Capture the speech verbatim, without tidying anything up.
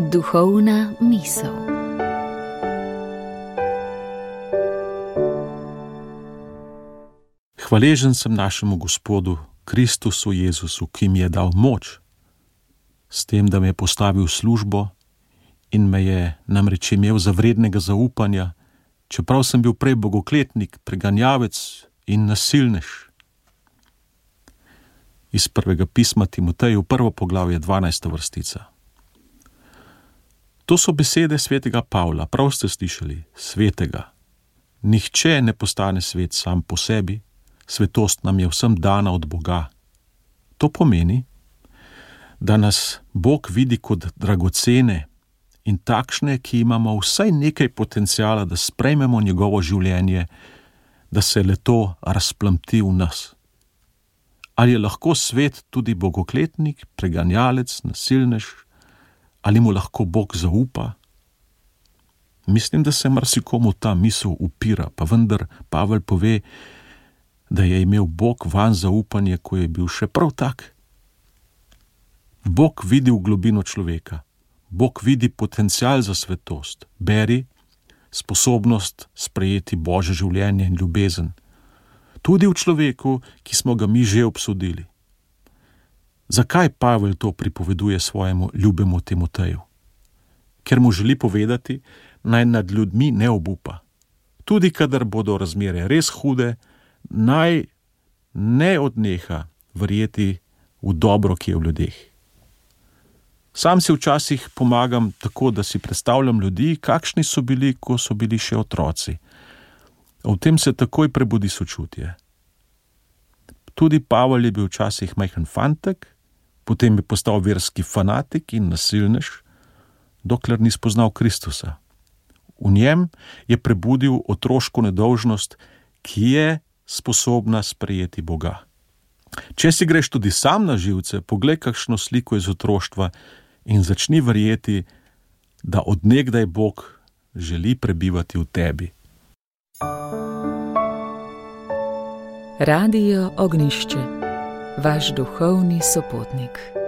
Duhovna misel. Hvaležen sem našemu Gospodu, Kristusu Jezusu, ki mi je dal moč, s tem, da me je postavil v službo in me je namreč imel za vrednega zaupanja, čeprav sem bil prej bogokletnik, preganjavec in nasilnež. Iz prvega pisma Timoteju, prvo poglavje, dvanajsta vrstica. To so besede svetega Pavla, prav ste slišali, svetega. Nihče ne postane svet sam po sebi, svetost nam je vsem dana od Boga. To pomeni, da nas Bog vidi kot dragocene in takšne, ki imamo vsaj nekaj potencijala, da sprejmemo njegovo življenje, da se le-to razplamti v nas. Ali je lahko svet tudi bogokletnik, preganjalec, nasilnež, ali mu lahko Bog zaupa? Mislim, da se marsikomu ta misel upira, pa vendar Pavel pove, da je imel Bog vanj zaupanje, ko je bil še prav tak. Bog vidi v globino človeka. Bog vidi potencial za svetost. Beri, sposobnost sprejeti Božje življenje in ljubezen. Tudi v človeku, ki smo ga mi že obsodili. Zakaj Pavel to pripoveduje svojemu ljubemu Timoteju? Ker mu želi povedati, naj nad ljudmi ne obupa. Tudi kadar bodo razmere res hude, naj ne odneha verjeti v dobro, ki je v ljudeh. Sam si včasih pomagam tako, da si predstavljam ljudi, kakšni so bili, ko so bili še otroci. V tem se takoj prebudi sočutje. Tudi Pavel je bil včasih majhen fantek, potem je postal verski fanatik in nasilnež, dokler ni spoznal Kristusa. V njem je prebudil otroško nedolžnost, ki je sposobna sprejeti Boga. Če si greš tudi sam na živce, poglej kakšno sliko iz otroštva in začni verjeti, da od nekdaj Bog želi prebivati v tebi. Radio Ognjišče, vaš duhovni sopotnik.